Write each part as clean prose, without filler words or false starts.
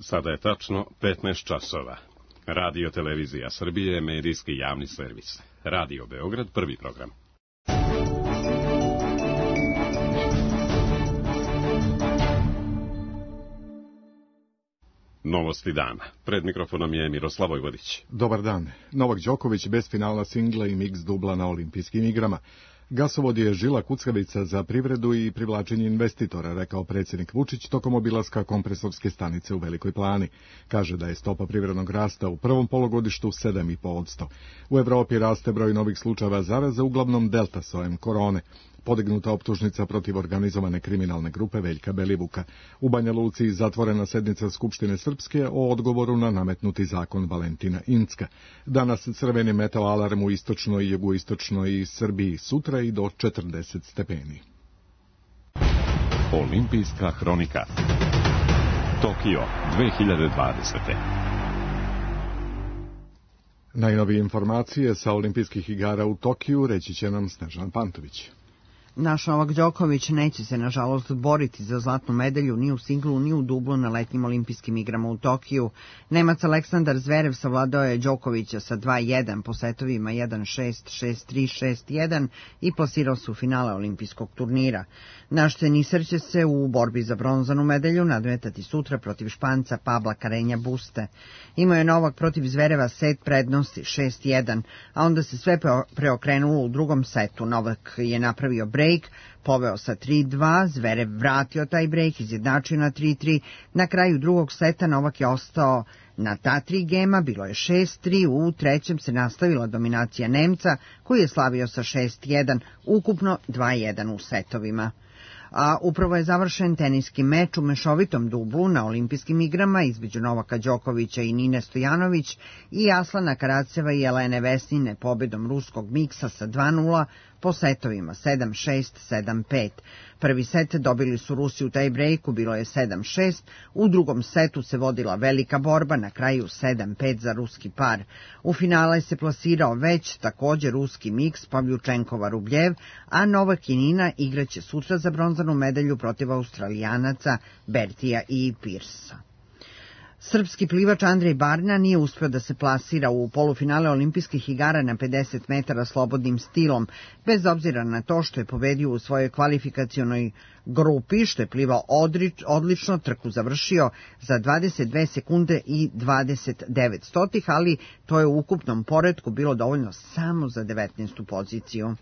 Sada je tačno 15 časova. Radio Televizija Srbije je medijski javni servis. Radio Beograd, prvi program. Novosti dana. Pred mikrofonom je Miroslav Vojvodić. Dobar dan. Novak Đoković bez finala singla i miks dubla na olimpijskim igrama. Gasovod je žila kucavica za privredu i privlačenje investitora, rekao predsjednik Vučić tokom obilaska kompresorske stanice u Velikoj Plani. Kaže da je stopa privrednog rasta u prvom polugodištu 7,5%. U Evropi raste broj novih slučajeva zaraze, uglavnom delta sojem korone. Podignuta optužnica protiv organizovane kriminalne grupe Veljka Belivuka. U Banja Luci zatvorena sednica Skupštine Srpske o odgovoru na nametnuti zakon Valentina Incka. Danas crveni meteo alarm u istočnoj i jugoistočnoj Srbiji, sutra i do 40 stepeni. Olimpijska hronika. Tokio 2020. Najnovije informacije sa olimpijskih igara u Tokiju reći će nam Snežana Pantović. Naš Novak Đoković neće se, nažalost, boriti za zlatnu medalju ni u singlu, ni u dublu na letnjim olimpijskim igrama u Tokiju. Nemac Aleksandar Zverev savladao je Đokovića sa 2-1 po setovima 1-6, 6-3, 6-1 i plasirao se u finale olimpijskog turnira. Naš teniser će se u borbi za bronzanu medalju nadmetati sutra protiv Španca Pabla Carreña Buste. Imao je Novak protiv Zvereva set prednosti 6-1, a onda se sve preokrenulo u drugom setu. Novak je napravio break, poveo sa 3-2, Zverev vratio taj break, izjednačio na 3-3. Na kraju drugog seta Novak je ostao na ta 3 gema, bilo je 6-3, u trećem se nastavila dominacija Nemca, koji je slavio sa 6-1, ukupno 2-1 u setovima. A upravo je završen teniski meč u mešovitom dublu na olimpijskim igrama između Novaka Đokovića i Nine Stojanović i Aslana Karaceva i Jelene Vesnine pobedom ruskog miksa sa 2-0 po setovima 7-6, 7-5. Prvi set dobili su Rusi u taj brejku, bilo je 7-6, u drugom setu se vodila velika borba, na kraju 7-5 za ruski par. U finale se plasirao već također ruski miks Pavljučenkova-Rubljev, a Novak i Nina igraće sutra za bronzanu medalju protiv Australijanaca Bertija i Pirsa. Srpski plivač Andrej Barna nije uspeo da se plasira u polufinale olimpijskih igara na 50 metara slobodnim stilom, bez obzira na to što je pobedio u svojoj kvalifikacionoj grupi, što je plivao odlično, trku završio za 22 sekunde i 29 stotih, ali to je u ukupnom poretku bilo dovoljno samo za 19. poziciju.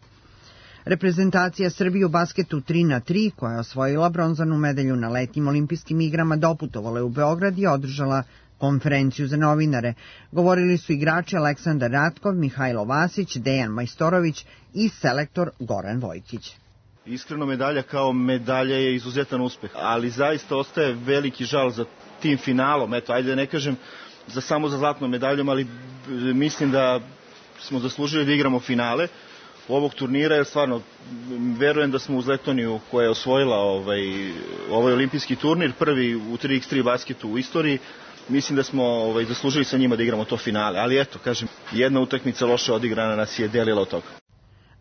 Reprezentacija Srbije u basketu 3x3, koja je osvojila bronzanu medalju na letnjim olimpijskim igrama, doputovala je u Beograd i održala konferenciju za novinare. Govorili su igrači Aleksandar Ratkov, Mihajlo Vasić, Dejan Majstorović i selektor Goran Vojkić. Iskreno, medalja kao medalja je izuzetan uspeh, ali zaista ostaje veliki žal za tim finalom. Eto, ajde da ne kažem samo za zlatnom medaljom, ali mislim da smo zaslužili da igramo finale ovog turnira, jer stvarno verujem da smo uz Letoniju, koja je osvojila ovaj olimpijski turnir, prvi u 3x3 basketu u istoriji, mislim da smo zaslužili sa njima da igramo to finale. Ali eto, kažem, jedna utakmica loše odigrana nas je delila od toga.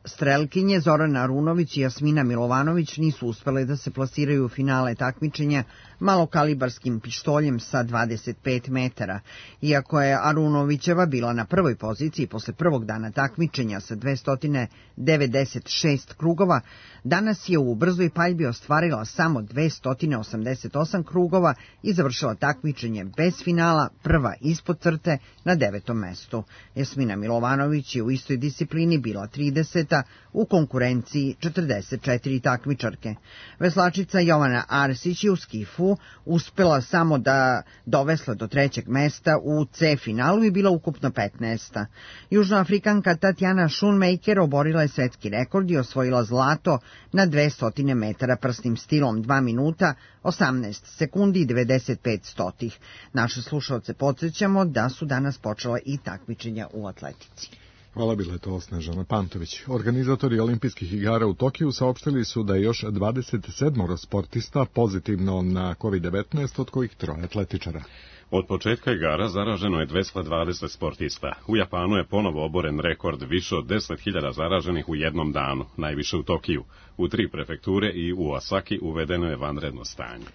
Strelkinje Zorana Arunović i Jasmina Milovanović nisu uspele da se plasiraju u finale takmičenja malokalibarskim pištoljem sa 25 metara. Iako je Arunovićeva bila na prvoj poziciji posle prvog dana takmičenja sa 296 krugova, danas je u brzoj paljbi ostvarila samo 288 krugova i završila takmičenje bez finala, prva ispod crte na 9. mestu. Jasmina Milovanović je u istoj disciplini bila 30. u konkurenciji 44 takmičarke. Veslačica Jovana Arsić je u skifu uspela samo da dovesla do 3. mesta u C finalu i bila ukupno 15. Južnoafrikanka Tatjana Schoonmaker oborila je svetski rekord i osvojila zlato na 200 metara prsnim stilom 2 minuta, 18 sekundi i 95 stotih. Naše slušalce podsjećamo da su danas počela i takmičenja u atletici. Hvala, bila je to Snežana Pantović. Organizatori olimpijskih igara u Tokiju saopštili su da je još 27 sportista pozitivno na COVID-19, od kojih 3 atletičara. Od početka igara zaraženo je 220 sportista. U Japanu je ponovo oboren rekord više od 10.000 zaraženih u jednom danu, najviše u Tokiju. U 3 prefekture i u Osaki uvedeno je vanredno stanje.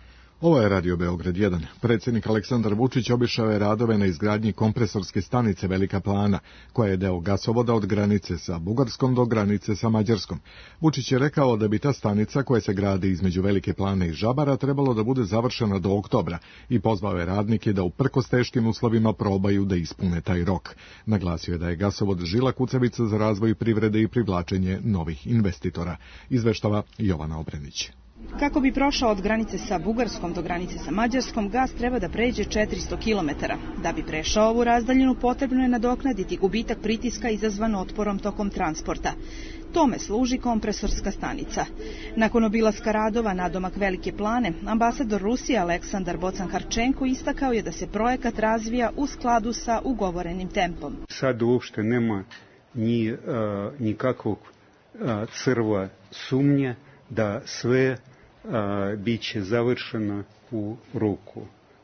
Ovo je Radio Beograd 1. Predsjednik Aleksandar Vučić obišao je radove na izgradnji kompresorske stanice Velika Plana, koja je deo gasovoda od granice sa Bugarskom do granice sa Mađarskom. Vučić je rekao da bi ta stanica, koja se gradi između Velike Plane i Žabara, trebalo da bude završena do oktobra i pozvao je radnike da uprkos teškim uslovima probaju da ispune taj rok. Naglasio je da je gasovod žila kucavica za razvoj privrede i privlačenje novih investitora. Izveštava Jovana Obrenić. Kako bi prošao od granice sa Bugarskom do granice sa Mađarskom, gas treba da pređe 400 km. Da bi prešao ovu razdaljinu, potrebno je nadoknaditi gubitak pritiska izazvan otporom tokom transporta. Tome služi kompresorska stanica. Nakon obilaska radova nadomak Velike Plane, ambasador Rusije Aleksandar Bocan-Harčenko istakao je da se projekat razvija u skladu sa ugovorenim tempom. Sad uopšte nema nikakvog crva sumnje da sve biće završeno u roku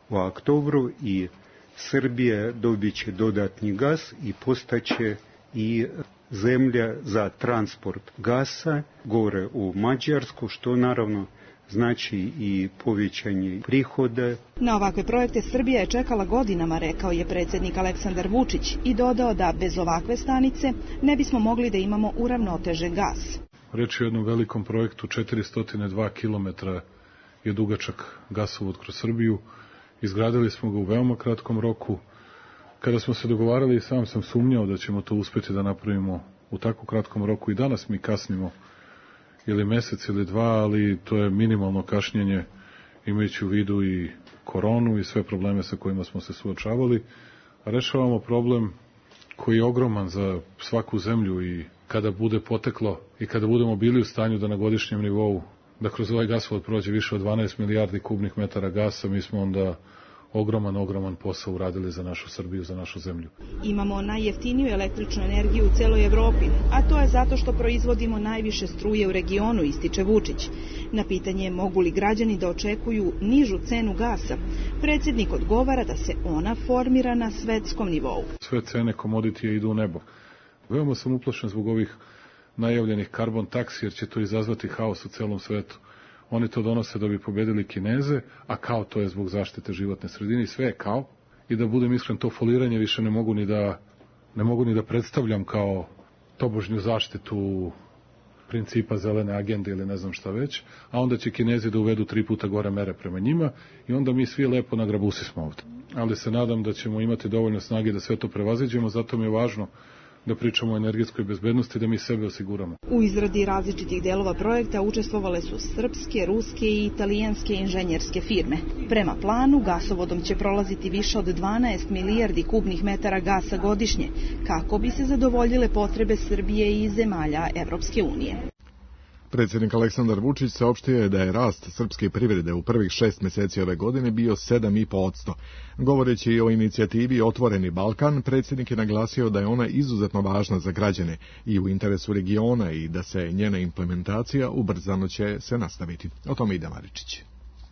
u oktobru i Srbija dobiće dodatni gas i postaće i zemlja za transport gasa gore u Mađarsku, što naravno znači i povećanje prihoda. Na ovakve projekte Srbija je čekala godinama, rekao je predsjednik Aleksandar Vučić i dodao da bez ovakve stanice ne bismo mogli da imamo uravnotežen gas. Reč je o jednom velikom projektu, 402 km je dugačak gasovod kroz Srbiju. Izgradili smo ga u veoma kratkom roku. Kada smo se dogovarali, sam sam sumnjao da ćemo to uspjeti da napravimo u tako kratkom roku. I danas mi kasnimo ili mesec ili dva, ali to je minimalno kašnjenje, imajući u vidu i koronu i sve probleme sa kojima smo se suočavali. A rešavamo problem koji je ogroman za svaku zemlju i kada bude poteklo i kada budemo bili u stanju da na godišnjem nivou, da kroz ovaj gasovod prođe više od 12 milijardi kubnih metara gasa, mi smo onda ogroman posao uradili za našu Srbiju, za našu zemlju. Imamo najjeftiniju električnu energiju u celoj Evropi, a to je zato što proizvodimo najviše struje u regionu, ističe Vučić. Na pitanje mogu li građani da očekuju nižu cenu gasa, predsjednik odgovara da se ona formira na svetskom nivou. Sve cene komoditija idu u nebo. Veoma sam uplašen zbog ovih najavljenih karbon taksi, jer će to izazvati haos u celom svetu. Oni to donose da bi pobedili Kineze, a kao to je zbog zaštite životne sredine, sve je kao. I da budem iskren, to foliranje više ne mogu ni da predstavljam kao tobožnju zaštitu principa zelene agende ili ne znam šta već, a onda će Kinezi da uvedu 3 puta gore mere prema njima i onda mi svi lepo na grabusi smo ovde. Ali se nadam da ćemo imati dovoljno snage da sve to prevaziđemo, zato mi je važno da pričamo o energetskoj bezbednosti, da mi sebe osiguramo. U izradi različitih delova projekta učestvovale su srpske, ruske i italijanske inženjerske firme. Prema planu, gasovodom će prolaziti više od 12 milijardi kubnih metara gasa godišnje, kako bi se zadovoljile potrebe Srbije i zemalja Evropske unije. Predsjednik Aleksandar Vučić saopštio je da je rast srpske privrede u prvih 6 meseci ove godine bio 7,5%. Govoreći o inicijativi Otvoreni Balkan, predsjednik je naglasio da je ona izuzetno važna za građane i u interesu regiona i da se njena implementacija ubrzano će se nastaviti. O tome ide Maričić.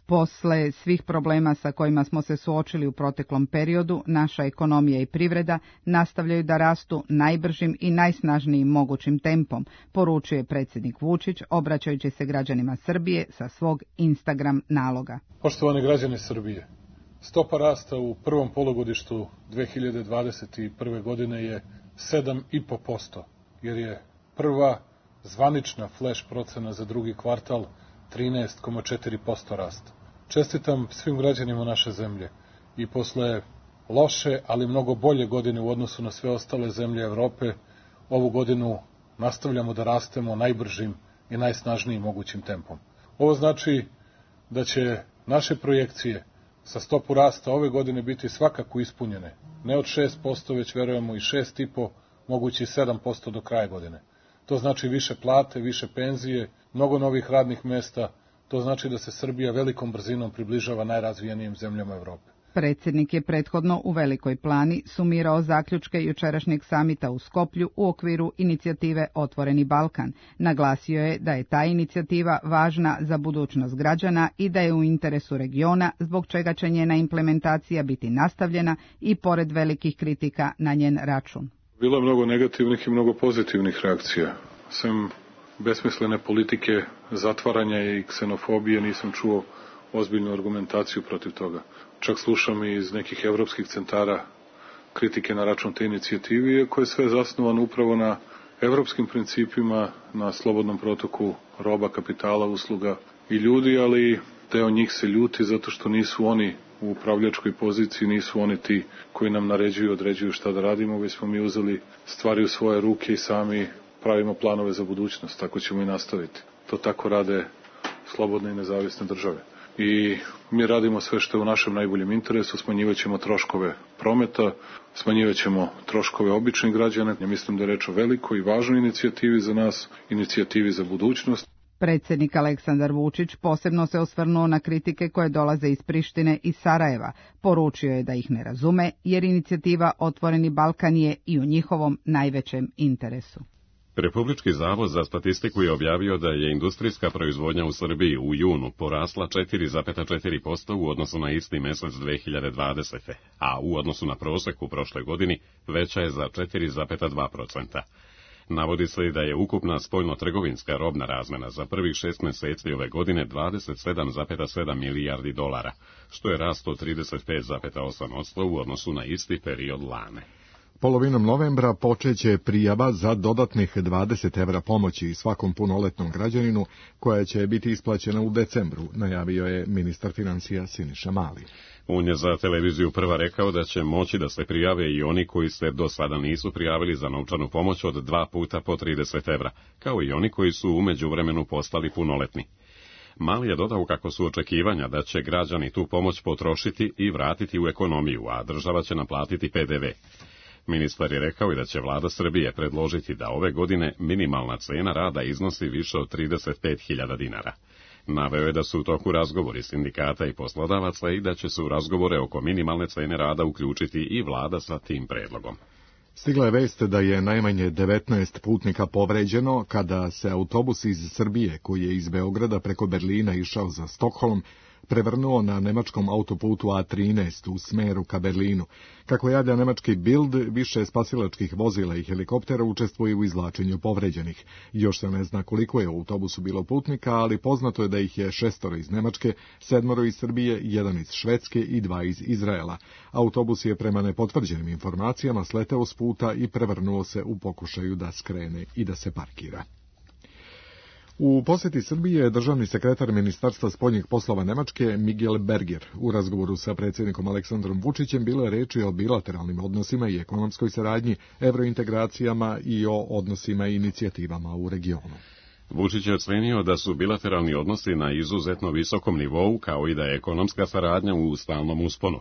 Posle svih problema sa kojima smo se suočili u proteklom periodu, naša ekonomija i privreda nastavljaju da rastu najbržim i najsnažnijim mogućim tempom, poručuje predsjednik Vučić, obraćajući se građanima Srbije sa svog Instagram naloga. Poštovani građani Srbije, stopa rasta u prvom polugodištu 2021. godine je 7,5%, jer je prva zvanična flash procena za drugi kvartal 13,4% rasta. Čestitam svim građanima naše zemlje i posle loše, ali mnogo bolje godine u odnosu na sve ostale zemlje Evrope, ovu godinu nastavljamo da rastemo najbržim i najsnažnijim mogućim tempom. Ovo znači da će naše projekcije sa stopu rasta ove godine biti svakako ispunjene. Ne od 6%, već verujemo i 6,5%, mogući 7% do kraja godine. To znači više plate, više penzije, mnogo novih radnih mesta. To znači da se Srbija velikom brzinom približava najrazvijenijim zemljama Evrope. Predsjednik je prethodno u Velikoj Plani sumirao zaključke jučerašnjeg samita u Skoplju u okviru inicijative Otvoreni Balkan. Naglasio je da je ta inicijativa važna za budućnost građana i da je u interesu regiona, zbog čega će njena implementacija biti nastavljena i pored velikih kritika na njen račun. Bilo je mnogo negativnih i mnogo pozitivnih reakcija. Sem besmislene politike zatvaranja i ksenofobije nisam čuo ozbiljnu argumentaciju protiv toga. Čak slušam i iz nekih evropskih centara kritike na račun te inicijative, iako je sve zasnovano upravo na evropskim principima, na slobodnom protoku roba, kapitala, usluga i ljudi, ali deo njih se ljuti zato što nisu oni u upravljačkoj poziciji, nisu oni ti koji nam naređuju, određuju šta da radimo, već smo mi uzeli stvari u svoje ruke i sami pravimo planove za budućnost, tako ćemo i nastaviti. To tako rade slobodne i nezavisne države. I mi radimo sve što je u našem najboljem interesu, smanjivat ćemo troškove prometa, smanjivat ćemo troškove običnih građana. Ja mislim da je reč o velikoj i važnoj inicijativi za nas, inicijativi za budućnost. Predsjednik Aleksandar Vučić posebno se osvrnuo na kritike koje dolaze iz Prištine i Sarajeva. Poručio je da ih ne razume, jer inicijativa Otvoreni Balkan je i u njihovom najvećem interesu. Republički zavod za statistiku je objavio da je industrijska proizvodnja u Srbiji u junu porasla 4,4% u odnosu na isti mesec 2020. a u odnosu na prosek u prošloj godini veća je za 4,2%. Navodi se da je ukupna spoljno-trgovinska robna razmena za prvih 6 meseci ove godine 27,7 milijardi dolara, što je rast od 35,8% u odnosu na isti period lane. Polovinom novembra počeće prijava za dodatnih 20 evra pomoći svakom punoletnom građaninu, koja će biti isplaćena u decembru, najavio je ministar financija Siniša Mali. On je za televiziju Prva rekao da će moći da se prijave i oni koji se do sada nisu prijavili za novčanu pomoć od 2 puta po 30 evra, kao i oni koji su u međuvremenu postali punoletni. Mali je dodao kako su očekivanja da će građani tu pomoć potrošiti i vratiti u ekonomiju, a država će naplatiti PDV. Ministar je rekao i da će vlada Srbije predložiti da ove godine minimalna cena rada iznosi više od 35.000 dinara. Naveo je da su u toku razgovori sindikata i poslodavaca i da će se u razgovore oko minimalne cene rada uključiti i vlada sa tim predlogom. Stigla je vest da je najmanje 19 putnika povređeno kada se autobus iz Srbije, koji je iz Beograda preko Berlina išao za Stokholm, prevrnuo na nemačkom autoputu A13 u smeru ka Berlinu. Kako javlja nemački Bild, više spasilačkih vozila i helikoptera učestvuje u izvlačenju povređenih. Još se ne zna koliko je u autobusu bilo putnika, ali poznato je da ih je 6 iz Nemačke, 7 iz Srbije, 1 iz Švedske i 2 iz Izraela. Autobus je prema nepotvrđenim informacijama sleteo s puta i prevrnuo se u pokušaju da skrene i da se parkira. U posjeti Srbije je državni sekretar Ministarstva spoljnih poslova Nemačke Miguel Berger. U razgovoru sa predsjednikom Aleksandrom Vučićem bilo je reči o bilateralnim odnosima i ekonomskoj saradnji, evrointegracijama i o odnosima i inicijativama u regionu. Vučić je ocenio da su bilateralni odnosi na izuzetno visokom nivou, kao i da je ekonomska saradnja u stalnom usponu.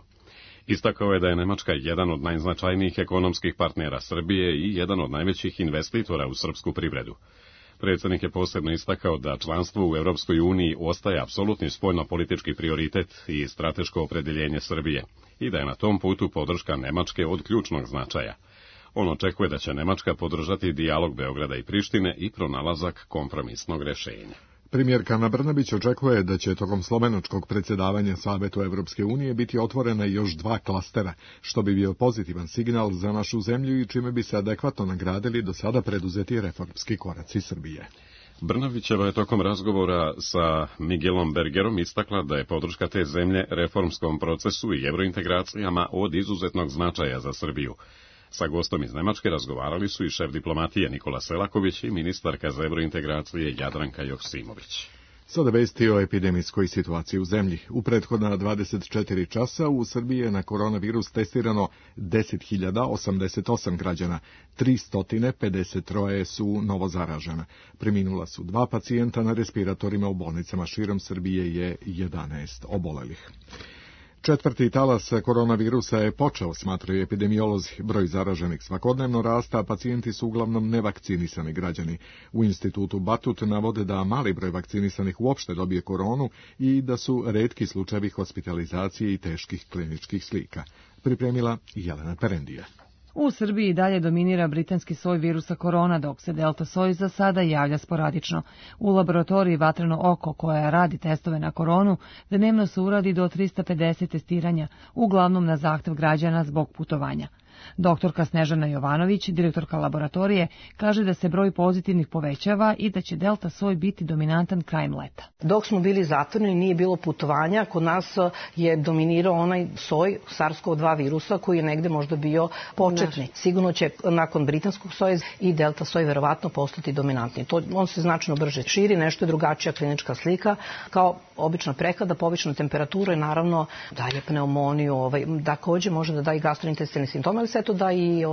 Istakao je da je Nemačka jedan od najznačajnijih ekonomskih partnera Srbije i jedan od najvećih investitora u srpsku privredu. Predsjednik je posebno istakao da članstvo u Europskoj uniji ostaje apsolutni spoljno-politički prioritet i strateško opredjeljenje Srbije i da je na tom putu podrška Nemačke od ključnog značaja. On očekuje da će Nemačka podržati dijalog Beograda i Prištine i pronalazak kompromisnog rješenja. Premijerka Ana Brnabić očekuje da će tokom slovenačkog predsjedavanja Savetu Evropske unije biti otvorena još 2 klastera, što bi bio pozitivan signal za našu zemlju i čime bi se adekvatno nagradili do sada preduzeti reformski koraci Srbije. Brnabićeva je tokom razgovora sa Miguelom Bergerom istakla da je podrška te zemlje reformskom procesu i evrointegracijama od izuzetnog značaja za Srbiju. Sa gostom iz Nemačke razgovarali su i šef diplomatije Nikola Selaković i ministarka za evrointegracije Jadranka Joksimović. Sada vesti o epidemijskoj situaciji u zemlji. U prethodna 24 časa u Srbiji je na koronavirus testirano 10.088 građana, 353 su novo zaražena. Preminula su 2 pacijenta, na respiratorima u bolnicama širom Srbije je 11 obolelih. 4. talas koronavirusa je počeo, smatraju epidemiolozi. Broj zaraženih svakodnevno rasta, a pacijenti su uglavnom nevakcinisani građani. U institutu Batut navode da mali broj vakcinisanih uopšte dobije koronu i da su retki slučajevi hospitalizacije i teških kliničkih slika. Pripremila Jelena Perendija. U Srbiji dalje dominira britanski soj virusa korona, dok se delta soj za sada javlja sporadično. U laboratoriji Vatreno oko, koja radi testove na koronu, dnevno se uradi do 350 testiranja, uglavnom na zahtev građana zbog putovanja. Doktorka Snežana Jovanović, direktorka laboratorije, kaže da se broj pozitivnih povećava i da će delta soj biti dominantan krajem leta. Dok smo bili zatvoreni, nije bilo putovanja, kod nas je dominirao onaj soj SARS-CoV-2 virusa koji je negde možda bio početni. Sigurno će nakon britanskog soja i delta soj verovatno postati dominantni. On se značno brže širi, nešto je drugačija klinička slika, kao obična prehlada, povišena temperatura i naravno daje pneumoniju, takođe može da da i gastrointestilne simptome, ali sve to da i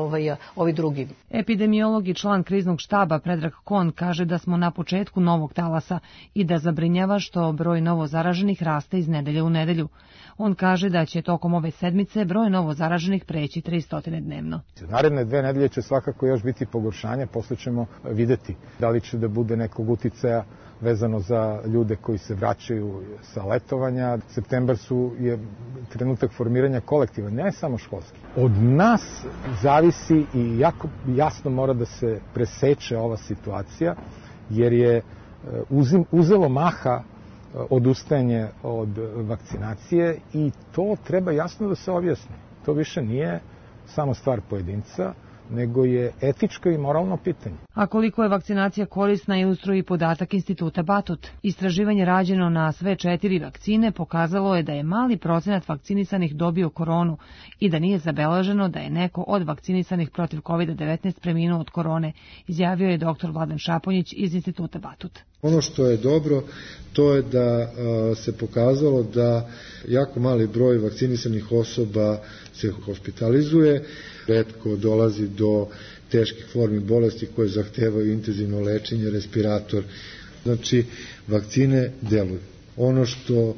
ovi drugi. Epidemiolog i član kriznog štaba Predrag Kon kaže da smo na početku novog talasa i da zabrinjava što broj novo zaraženih raste iz nedelje u nedelju. On kaže da će tokom ove sedmice broj novo zaraženih preći 300 dnevno. Naredne 2 nedelje će svakako još biti pogoršanje, posle ćemo videti da li će da bude nekog uticaja vezano za ljude koji se vraćaju sa letovanja. Septembar je trenutak formiranja kolektiva, ne samo školski. Od nas zavisi i jako jasno mora da se preseče ova situacija, jer je uzelo maha odustajanje od vakcinacije i to treba jasno da se objasni. To više nije samo stvar pojedinca, nego je etičko i moralno pitanje. A koliko je vakcinacija korisna ilustruje i podatak Instituta Batut. Istraživanje rađeno na sve 4 vakcine pokazalo je da je mali procenat vakcinisanih dobio koronu i da nije zabeleženo da je neko od vakcinisanih protiv COVID-19 preminuo od korone, izjavio je dr. Vladan Šaponjić iz Instituta Batut. Ono što je dobro, to je da se pokazalo da jako mali broj vakcinisanih osoba se hospitalizuje, retko dolazi do teških formi bolesti koje zahtevaju intenzivno lečenje, respirator. Znači, vakcine deluju. Ono što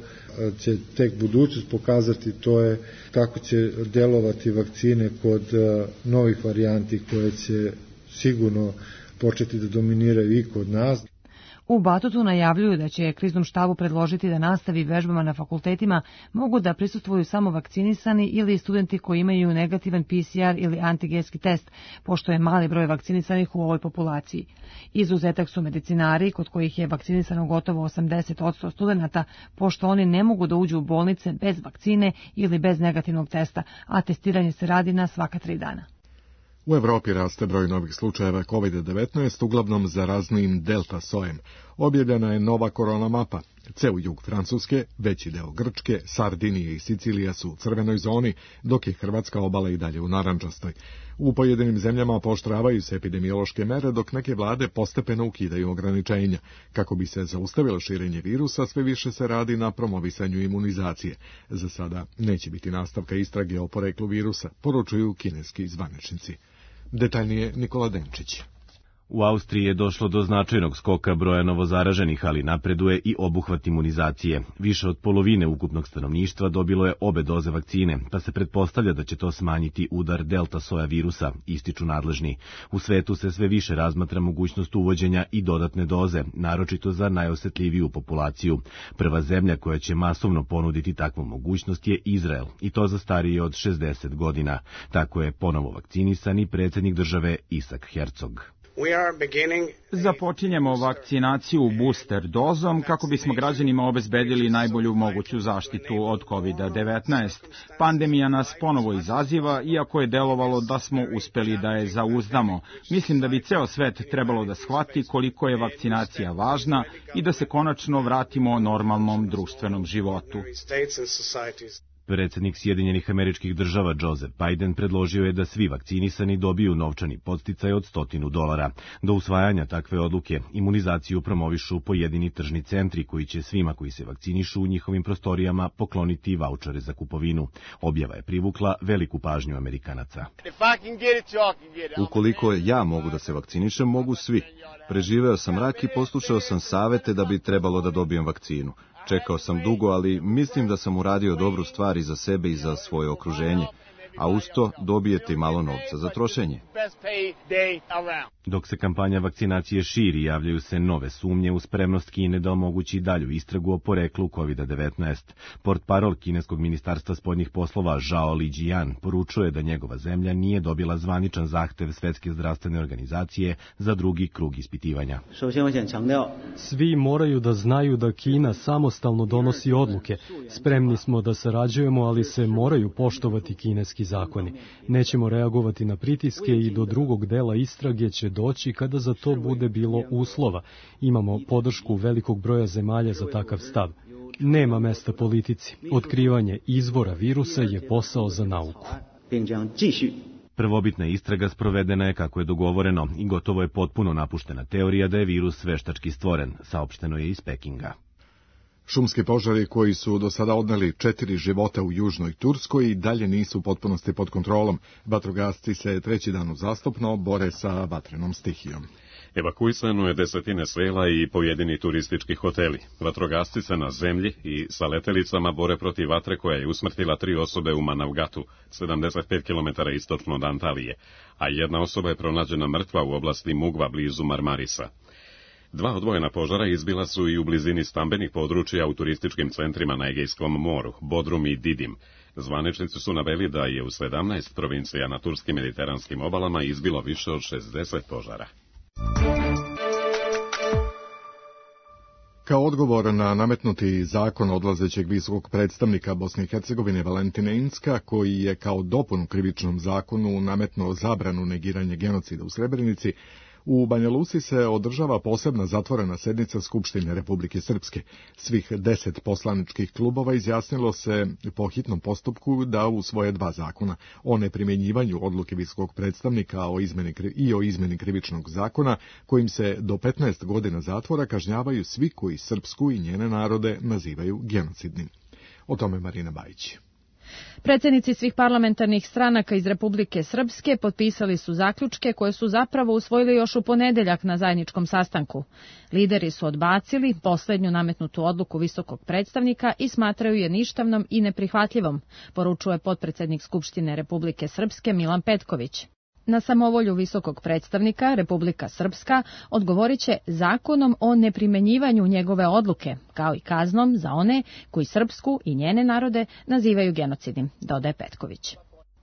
će tek budućnost pokazati, to je kako će delovati vakcine kod novih varijanti koje će sigurno početi da dominiraju i kod nas. U Batutu najavljuju da će kriznom štabu predložiti da nastavi vežbama na fakultetima mogu da prisustvuju samo vakcinisani ili studenti koji imaju negativan PCR ili antigenski test, pošto je mali broj vakcinisanih u ovoj populaciji. Izuzetak su medicinari, kod kojih je vakcinisano gotovo 80% studenata, pošto oni ne mogu da uđu u bolnice bez vakcine ili bez negativnog testa, a testiranje se radi na svaka 3 dana. U Evropi raste broj novih slučajeva COVID-19, uglavnom zaraznijim delta sojem. Objavljena je nova korona mapa. Ceo jug Francuske, veći deo Grčke, Sardinije i Sicilija su u crvenoj zoni, dok je hrvatska obala i dalje u narandžastoj. U pojedinim zemljama pooštravaju se epidemiološke mere, dok neke vlade postepeno ukidaju ograničenja. Kako bi se zaustavilo širenje virusa, sve više se radi na promovisanju imunizacije. Za sada neće biti nastavka istrage o poreklu virusa, poručuju kineski zvaničnici. Detaljnije Nikola Denčić. U Austriji je došlo do značajnog skoka broja novozaraženih, ali napreduje i obuhvat imunizacije. Više od polovine ukupnog stanovništva dobilo je obe doze vakcine, pa se pretpostavlja da će to smanjiti udar delta soja virusa, ističu nadležni. U svetu se sve više razmatra mogućnost uvođenja i dodatne doze, naročito za najosetljiviju populaciju. Prva zemlja koja će masovno ponuditi takvu mogućnost je Izrael, i to za starije od 60 godina. Tako je ponovo vakcinisan i predsjednik države Isak Herzog. Započinjemo vakcinaciju booster dozom kako bismo građanima obezbedili najbolju moguću zaštitu od COVID-19. Pandemija nas ponovo izaziva, iako je delovalo da smo uspeli da je zauzdamo. Mislim da bi ceo svet trebalo da shvati koliko je vakcinacija važna i da se konačno vratimo normalnom društvenom životu. Predsjednik Sjedinjenih Američkih Država Joseph Biden predložio je da svi vakcinisani dobiju novčani podsticaj od $100. Do usvajanja takve odluke imunizaciju promovišu pojedini tržni centri koji će svima koji se vakcinišu u njihovim prostorijama pokloniti vaučere za kupovinu. Objava je privukla veliku pažnju Amerikanaca. Ukoliko ja mogu da se vakcinišem, mogu svi. Preživeo sam rak i poslušao sam savete da bi trebalo da dobijem vakcinu. Čekao sam dugo, ali mislim da sam uradio dobru stvar i za sebe i za svoje okruženje, a uz to dobijete i malo novca za trošenje. Dok se kampanja vakcinacije širi, javljaju se nove sumnje u spremnost Kine da omogući dalju istragu o poreklu COVID-19. Portparol kineskog ministarstva spoljnih poslova Zhao Lijian poručuje da njegova zemlja nije dobila zvaničan zahtev Svetske zdravstvene organizacije za drugi krug ispitivanja. Svi moraju da znaju da Kina samostalno donosi odluke. Spremni smo da sarađujemo, ali se moraju poštovati kineski zakoni. Nećemo reagovati na pritiske i do drugog dela istrage će doći kada za to bude bilo uslova. Imamo podršku velikog broja zemalja za takav stav. Nema mesta politici. Otkrivanje izvora virusa je posao za nauku. Prvobitna istraga sprovedena je kako je dogovoreno i gotovo je potpuno napuštena teorija da je virus veštački stvoren, saopšteno je iz Pekinga. Šumski požari koji su do sada odneli 4 života u južnoj Turskoj i dalje nisu u potpunosti pod kontrolom. Vatrogasci se treći dan uzastopno bore sa vatrenom stihijom. Evakuisano je desetine sela i pojedini turistički hoteli. Vatrogasci se na zemlji i sa letelicama bore protiv vatre koja je usmrtila 3 osobe u Manavgatu, 75 km istočno od Antalije, a jedna osoba je pronađena mrtva u oblasti Mugva blizu Marmarisa. 2 odvojena požara izbila su i u blizini stambenih područja u turističkim centrima na Egejskom moru, Bodrum i Didim. Zvaničnici su naveli da je u 17 provincija na turskim mediteranskim obalama izbilo više od 60 požara. Kao odgovor na nametnuti zakon odlazećeg visokog predstavnika Bosne i Hercegovine Valentina Incka, koji je kao dopunu krivičnom zakonu nametnuo zabranu negiranja genocida u Srebrenici, u Banja Luci se održava posebna zatvorena sednica Skupštine Republike Srpske. Svih 10 poslaničkih klubova izjasnilo se po hitnom postupku da usvoje 2 zakona o neprimjenjivanju odluke visokog predstavnika o izmeni krivičnog zakona, kojim se do 15 godina zatvora kažnjavaju svi koji srpsku i njene narode nazivaju genocidnim. O tome Marina Bajić. Predsjednici svih parlamentarnih stranaka iz Republike Srpske potpisali su zaključke koje su zapravo usvojili još u ponedeljak na zajedničkom sastanku. Lideri su odbacili posljednju nametnutu odluku visokog predstavnika i smatraju je ništavnom i neprihvatljivom, poručuje potpredsjednik Skupštine Republike Srpske Milan Petković. Na samovolju visokog predstavnika Republika Srpska odgovorit će zakonom o neprimjenjivanju njegove odluke, kao i kaznom za one koji srpsku i njene narode nazivaju genocidnim, dodaje Petković.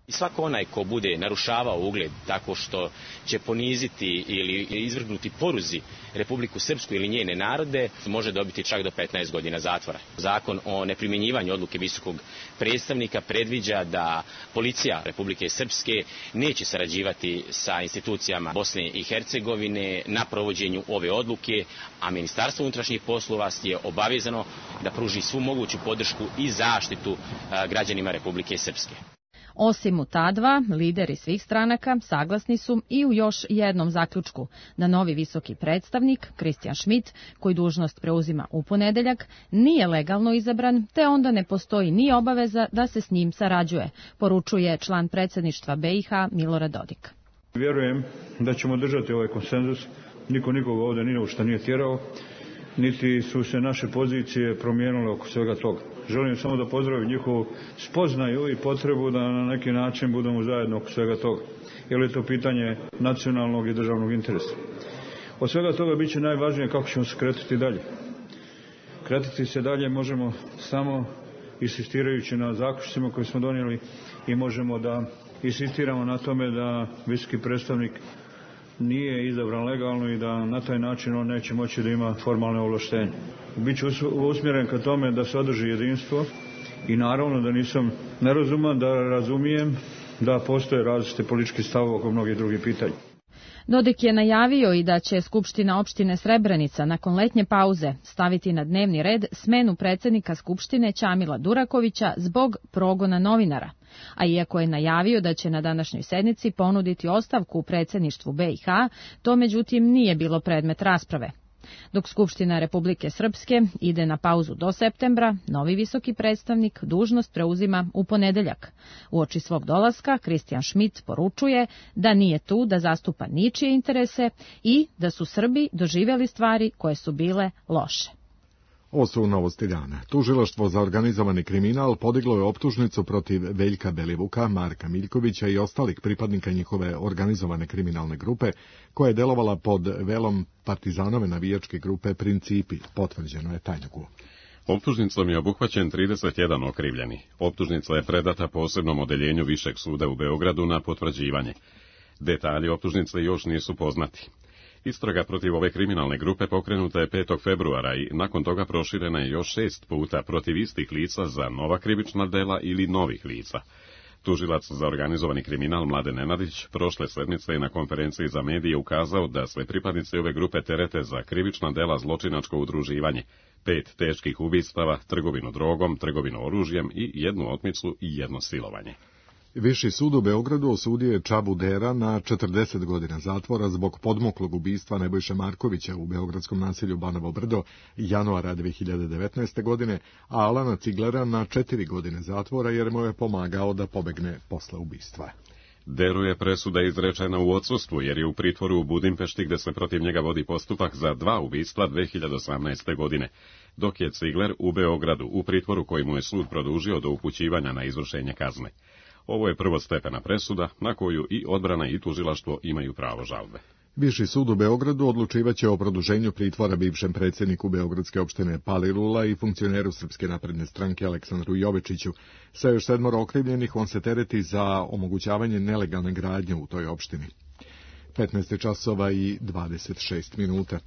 I svako onaj ko bude narušavao ugled tako što će poniziti ili izvrgnuti poruzi Republiku Srpsku ili njene narode može dobiti čak do 15 godina zatvora. Zakon o neprimjenjivanju odluke visokog predstavnika predviđa da policija Republike Srpske neće sarađivati sa institucijama Bosne i Hercegovine na provođenju ove odluke, a Ministarstvo unutrašnjih poslova je obavezano da pruži svu moguću podršku i zaštitu građanima Republike Srpske. Osim u ta dva, lideri svih stranaka saglasni su i u još jednom zaključku da novi visoki predstavnik, Christian Schmidt, koji dužnost preuzima u ponedeljak, nije legalno izabran, te onda ne postoji ni obaveza da se s njim sarađuje, poručuje član predsjedništva BiH Milorad Dodik. Vjerujem da ćemo držati ovaj konsenzus, niko nikoga ovdje ni u šta nije tjerao, niti su se naše pozicije promijenile oko svega toga. Želim samo da pozdravim njihovu spoznaju i potrebu da na neki način budemo zajedno oko svega toga, jer je to pitanje nacionalnog i državnog interesa. Od svega toga bit će najvažnije kako ćemo se kretati dalje. Kretati se dalje možemo samo insistirajući na zaključcima koje smo donijeli i možemo da insistiramo na tome da visoki predstavnik nije izabran legalno i da na taj način on neće moći da ima formalne ovlaštenje. Biću usmjeren ka tome da se održi jedinstvo i naravno da nisam nerazuman, da razumijem da postoje različite političke stavove oko mnogih drugih pitanja. Dodik je najavio i da će Skupština opštine Srebrenica nakon letnje pauze staviti na dnevni red smenu predsjednika Skupštine Ćamila Durakovića zbog progona novinara. A iako je najavio da će na današnjoj sednici ponuditi ostavku u predsjedništvu BiH, to međutim nije bilo predmet rasprave. Dok Skupština Republike Srpske ide na pauzu do septembra, novi visoki predstavnik dužnost preuzima u ponedeljak. Uoči svog dolaska, Christian Schmidt poručuje da nije tu da zastupa ničije interese i da su Srbi doživjeli stvari koje su bile loše. Ovo su novosti dana. Tužilaštvo za organizovani kriminal podiglo je optužnicu protiv Veljka Belivuka, Marka Miljkovića i ostalih pripadnika njihove organizovane kriminalne grupe, koja je delovala pod velom partizanove navijačke grupe Principi, potvrđeno je tajniku. Optužnicom je obuhvaćen 31 okrivljeni. Optužnica je predata posebnom odeljenju Višeg suda u Beogradu na potvrđivanje. Detalji optužnice još nisu poznati. Istraga protiv ove kriminalne grupe pokrenuta je 5. februara i nakon toga proširena je još 6 puta protiv istih lica za nova krivična dela ili novih lica. Tužilac za organizovani kriminal Mladen Nenadić prošle sedmice je na konferenciji za medije ukazao da se pripadnici ove grupe terete za krivična dela zločinačko udruživanje, 5 teških ubistava, trgovinu drogom, trgovinu oružjem i 1 otmicu i 1 silovanje. Viši sud u Beogradu osudio je Čabu Dera na 40 godina zatvora zbog podmuklog ubistva Nebojše Markovića u beogradskom naselju Banovo Brdo januara 2019. godine, a Alana Ciglera na 4 godine zatvora jer mu je pomagao da pobegne posle ubistva. Deru je presuda izrečena u odsustvu jer je u pritvoru u Budimpešti gde se protiv njega vodi postupak za 2 ubistva 2018. godine, dok je Cigler u Beogradu u pritvoru koji mu je sud produžio do upućivanja na izvršenje kazne. Ovo je prvostepena presuda na koju i odbrana i tužilaštvo imaju pravo žalbe. Viši sud u Beogradu odlučivaće o produženju pritvora bivšem predsjedniku Beogradske opštine Palilula i funkcioneru Srpske napredne stranke Aleksandru Jovečiću. Sa još 7 okrivljenih on se tereti za omogućavanje nelegalne gradnje u toj opštini. 15 časova i 26 minuta.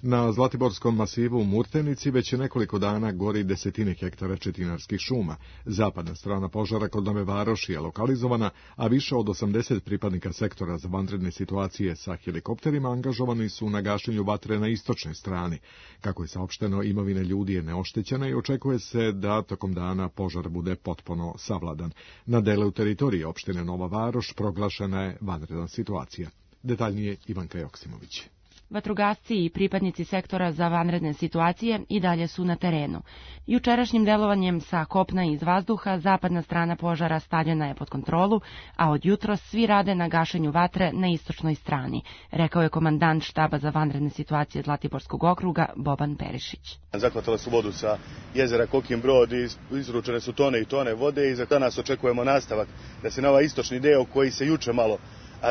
Na Zlatiborskom masivu u Murtenici već je nekoliko dana gori desetine hektara četinarskih šuma. Zapadna strana požara kod Nove Varoši je lokalizovana, a više od 80 pripadnika sektora za vanredne situacije sa helikopterima angažovani su na gašenju vatre na istočnoj strani. Kako je saopšteno, imovina ljudi je neoštećena i očekuje se da tokom dana požar bude potpuno savladan. Na delu teritorije opštine Nova Varoš proglašena je vanredna situacija. Detaljnije Ivanka Joksimović. Vatrogasci i pripadnici sektora za vanredne situacije i dalje su na terenu. Jučerašnjim delovanjem sa kopna i iz vazduha zapadna strana požara stavljena je pod kontrolu, a od jutros svi rade na gašenju vatre na istočnoj strani, rekao je komandant štaba za vanredne situacije Zlatiborskog okruga Boban Perišić. Zahvatale su vodu sa jezera Kokin Brod i izručene su tone i tone vode i za danas očekujemo nastavak da se na ovaj istočni deo koji se juče malo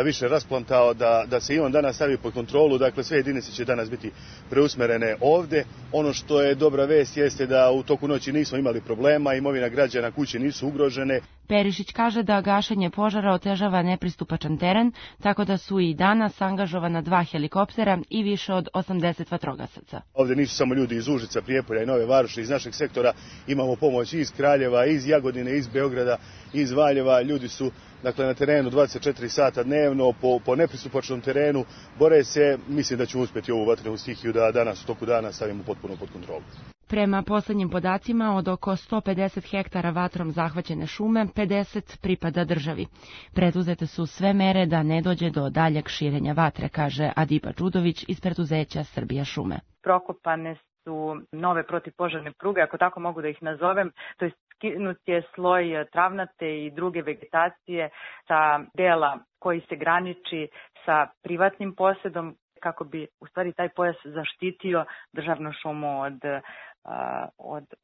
više rasplantao, da se i on danas stavi pod kontrolu, dakle sve jedinice će danas biti preusmerene ovde. Ono što je dobra vest jeste da u toku noći nismo imali problema, imovina građana, kuće nisu ugrožene. Perišić kaže da gašenje požara otežava nepristupačan teren, tako da su i danas angažovana 2 helikoptera i više od 80 vatrogasaca. Ovde nisu samo ljudi iz Užica, Prijepolja i Nove Varoši, iz našeg sektora imamo pomoć iz Kraljeva, iz Jagodine, iz Beograda, iz Valjeva. Ljudi su na terenu 24 sata dnevno, po nepristupačnom terenu, bore se. Mislim da ćemo uspjeti ovu vatrenu stihiju da danas u toku dana stavimo potpuno pod kontrolu. Prema poslednjim podacima, od oko 150 hektara vatrom zahvaćene šume, 50 pripada državi. Preduzete su sve mere da ne dođe do daljeg širenja vatre, kaže Adiba Đudović iz preduzeća Srbija šume. Prokopane su nove protivpožarne pruge, ako tako mogu da ih nazovem, to je skinut je sloj travnate i druge vegetacije sa dela koji se graniči sa privatnim posedom, kako bi u stvari taj pojas zaštitio državnu šumu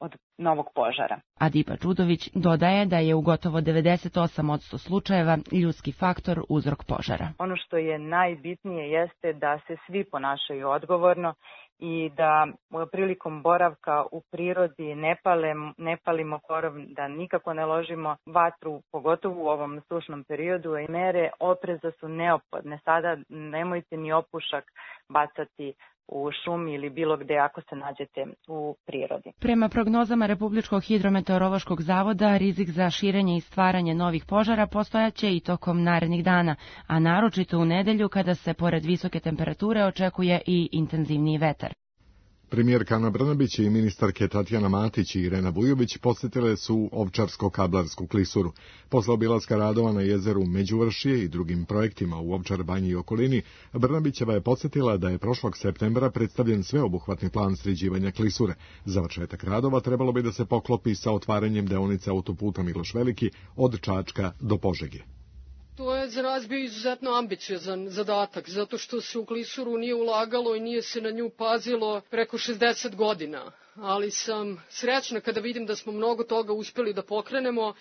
od novog požara. Adiba Đudović dodaje da je u gotovo 98% slučajeva ljudski faktor uzrok požara. Ono što je najbitnije jeste da se svi ponašaju odgovorno i da prilikom boravka u prirodi ne palimo korov, da nikako ne ložimo vatru, pogotovo u ovom sušnom periodu, i mere opreza su neophodne. Sada nemojte ni opušak bacati u šumi ili bilo gde ako se nađete u prirodi. Prema prognozama Republičkog hidrometeorološkog zavoda, rizik za širenje i stvaranje novih požara postojaće i tokom narednih dana, a naročito u nedelju kada se pored visoke temperature očekuje i intenzivniji vetar. Premijerka Ana Brnabić i ministarke Tatjana Matić i Irena Vujović posjetile su Ovčarsko-Kablarsku klisuru. Posle obilaska radova na jezeru Međuvršije i drugim projektima u Ovčar Banji i okolini, Brnabićeva je podsjetila da je prošlog septembra predstavljen sveobuhvatni plan sređivanja klisure. Završetak radova trebalo bi da se poklopi sa otvaranjem deonice autoputa Miloš Veliki od Čačka do Požege. To je za nas bio izuzetno ambiciozan zadatak, zato što se u klisuru nije ulagalo i nije se na nju pazilo preko 60 godina. Ali sam srećna kada vidim da smo mnogo toga uspeli da pokrenemo,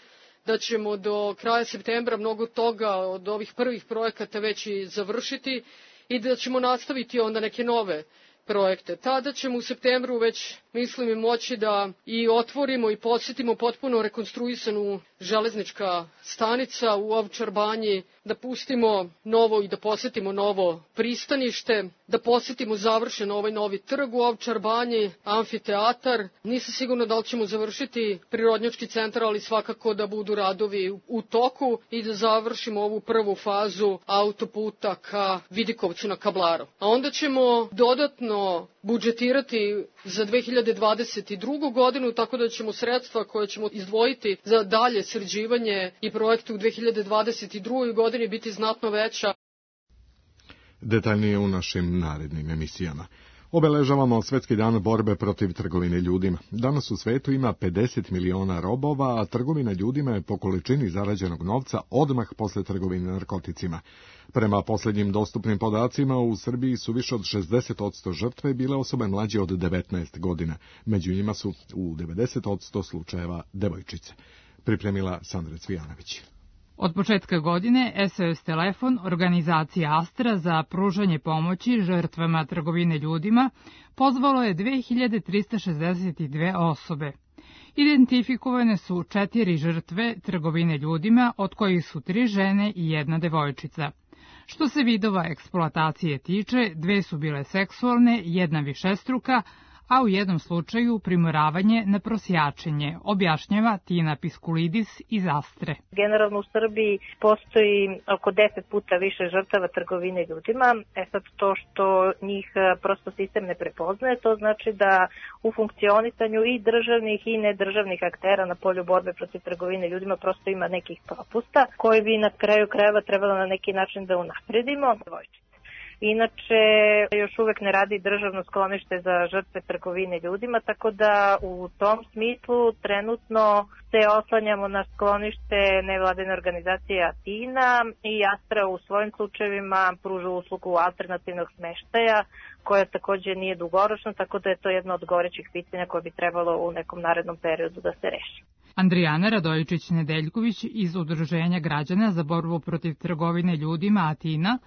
da ćemo do kraja septembra mnogo toga od ovih prvih projekata već i završiti i da ćemo nastaviti onda neke nove projekte. Tada ćemo u septembru već mislim i moći da i otvorimo i posetimo potpuno rekonstruisanu železnička stanica u Ovčar Banji, da pustimo novo i da posetimo novo pristanište, da posetimo završen ovaj novi trg u Ovčar Banji, amfiteatar. Nisam sigurna da li ćemo završiti prirodnjački centar, ali svakako da budu radovi u toku i da završimo ovu prvu fazu autoputa ka Vidikovcu na Kablaru. A onda ćemo dodatno budžetirati za 2022. godinu, tako da ćemo sredstva koje ćemo izdvojiti za dalje sređivanje i projekte u 2022. godini biti znatno veća. Detaljnije u našim narednim emisijama. Obeležavamo Svetski dan borbe protiv trgovine ljudima. Danas u svetu ima 50 miliona robova, a trgovina ljudima je po količini zarađenog novca odmah posle trgovine narkoticima. Prema posljednjim dostupnim podacima, u Srbiji su više od 60% žrtve bile osobe mlađe od 19 godina. Među njima su u 90% slučajeva devojčice. Pripremila Sandra Cvijanović. Od početka godine SOS telefon organizacija Astra za pružanje pomoći žrtvama trgovine ljudima pozvalo je 2362 osobe. Identifikovane su 4 žrtve trgovine ljudima, od kojih su 3 žene i 1 devojčica. Što se vidova eksploatacije tiče, 2 su bile seksualne, 1 višestruka, a u jednom slučaju primoravanje na prosjačenje, objašnjava Tina Piskulidis iz Astre. Generalno u Srbiji postoji oko 10 puta više žrtava trgovine ljudima. Sad to što njih prosto sistem ne prepoznaje, to znači da u funkcionisanju i državnih i nedržavnih aktera na polju borbe protiv trgovine ljudima prosto ima nekih propusta koji bi na kraju krajeva trebalo na neki način da unapredimo. Inače, još uvek ne radi državno sklonište za žrtve trgovine ljudima, tako da u tom smislu trenutno se oslanjamo na sklonište nevladine organizacije Atina i Astra u svojim slučajevima pruža uslugu alternativnog smeštaja, koja takođe nije dugoročna, tako da je to jedno od gorećih pitanja koje bi trebalo u nekom narednom periodu da se reši. Andrijana Radojičić-Nedeljković iz Udruženja građana za borbu protiv trgovine ljudima Atina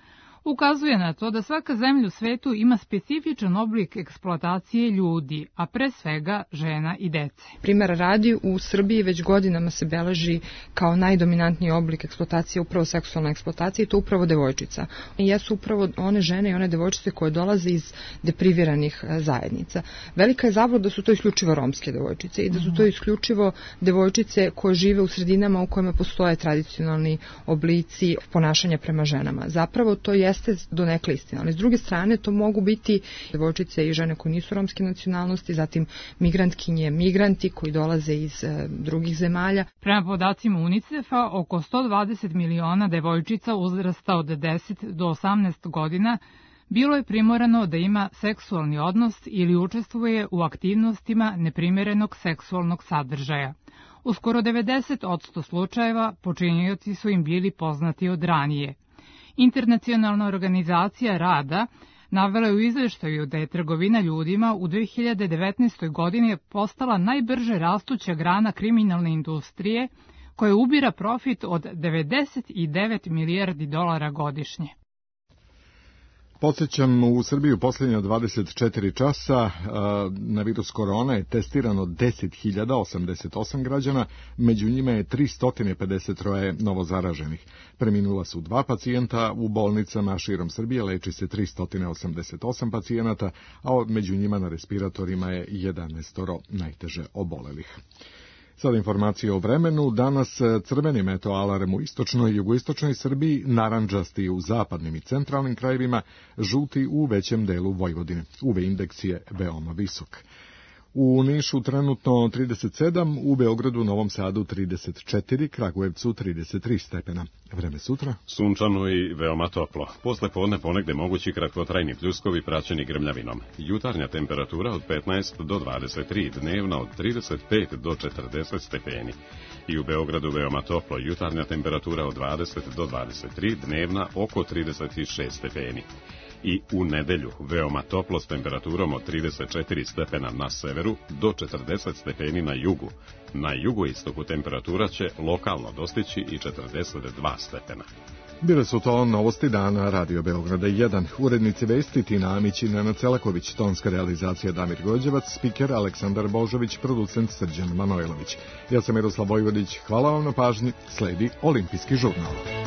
ukazuje na to da svaka zemlja u svetu ima specifičan oblik eksploatacije ljudi, a pre svega žena i dece. Primera radi, u Srbiji već godinama se beleži kao najdominantniji oblik eksploatacije upravo seksualna eksploatacija i to upravo devojčica. I jesu upravo one žene i one devojčice koje dolaze iz depriviranih zajednica. Velika je zabluda da su to isključivo romske devojčice i da su to isključivo devojčice koje žive u sredinama u kojima postoje tradicionalni oblici ponašanja prema ženama. Zapravo to jeste donekle istina, ali s druge strane to mogu biti devojčice i žene koje nisu romske nacionalnosti, zatim migrantkinje, migranti koji dolaze iz drugih zemalja. Prema podacima UNICEF-a, oko 120 miliona devojčica uzrasta od 10 do 18 godina bilo je primorano da ima seksualni odnos ili učestvuje u aktivnostima neprimerenog seksualnog sadržaja. U skoro 90% slučajeva počinioci su im bili poznati od ranije. Internacionalna organizacija rada navela je u izveštaju da je trgovina ljudima u 2019. godini postala najbrže rastuća grana kriminalne industrije koja ubira profit od 99 milijardi dolara godišnje. Podsjećam, u Srbiji u posljednja 24 časa na virus korona je testirano 10.088 građana, među njima je 353 novozaraženih. Preminula su 2 pacijenta, u bolnicama širom Srbije leči se 388 pacijenata, a među njima na respiratorima je 11 najteže obolelih. Sad informacije o vremenu. Danas crveni meteoalarm u istočnoj i jugoistočnoj Srbiji, narandžasti u zapadnim i centralnim krajevima, žuti u većem delu Vojvodine. UV indeks je veoma visok. U Nišu trenutno 37, u Beogradu, Novom Sadu 34, Kragujevcu 33 stepena. Vreme sutra? Sunčano i veoma toplo. Posle podne ponegde mogući kratkotrajni pljuskovi praćeni grmljavinom. Jutarnja temperatura od 15 do 23, dnevna od 35 do 40 stepeni. I u Beogradu veoma toplo, jutarnja temperatura od 20 do 23, dnevna oko 36 stepeni. I u nedelju veoma toplo s temperaturom od 34 stepena na severu do 40 stepeni na jugu. Na jugoistoku temperatura će lokalno dostići i 42 stepena. Bile su to novosti dana Radio Beograda 1. Urednici vesti Tina Amić i Nenad Celaković, tonska realizacija Damir Gođevac, spiker Aleksandar Božović, producent Srđan Manojlović. Ja sam Miroslav Vojvodić, hvala vam na pažnji, sledi Olimpijski žurnal.